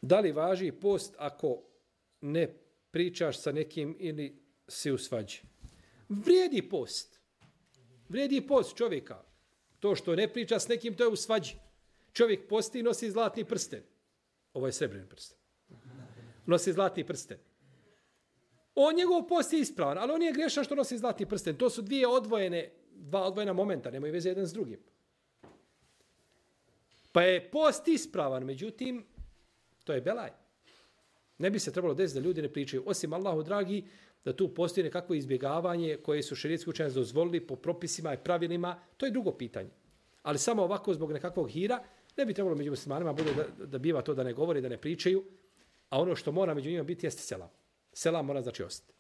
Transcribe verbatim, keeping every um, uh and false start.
Da li važi post ako ne pričaš sa nekim ili si u svađi? Vrijedi post. Vrijedi post čovjeka. To što ne priča s nekim, to je u svađi. Čovjek posti i nosi zlatni prsten. Ovo je srebrni prsten. Nosi zlatni prsten. On njegov post je ispravan, ali on je grešan što nosi zlatni prsten. To su dvije odvojene, dva odvojena momenta, nemaju veze jedan s drugim. Pa je post ispravan, međutim, to je belaj. Ne bi se trebalo desiti da ljudi ne pričaju. Osim Allahu dragi, da tu postoji nekakvo izbjegavanje koje su šerijetski učenjaci dozvolili po propisima i pravilima, to je drugo pitanje. Ali samo ovako zbog nekakvog hira, ne bi trebalo među muslimanima bude da, da biva to da ne govori, da ne pričaju, a ono što mora među njima biti jeste selam. Selam mora znači ostati.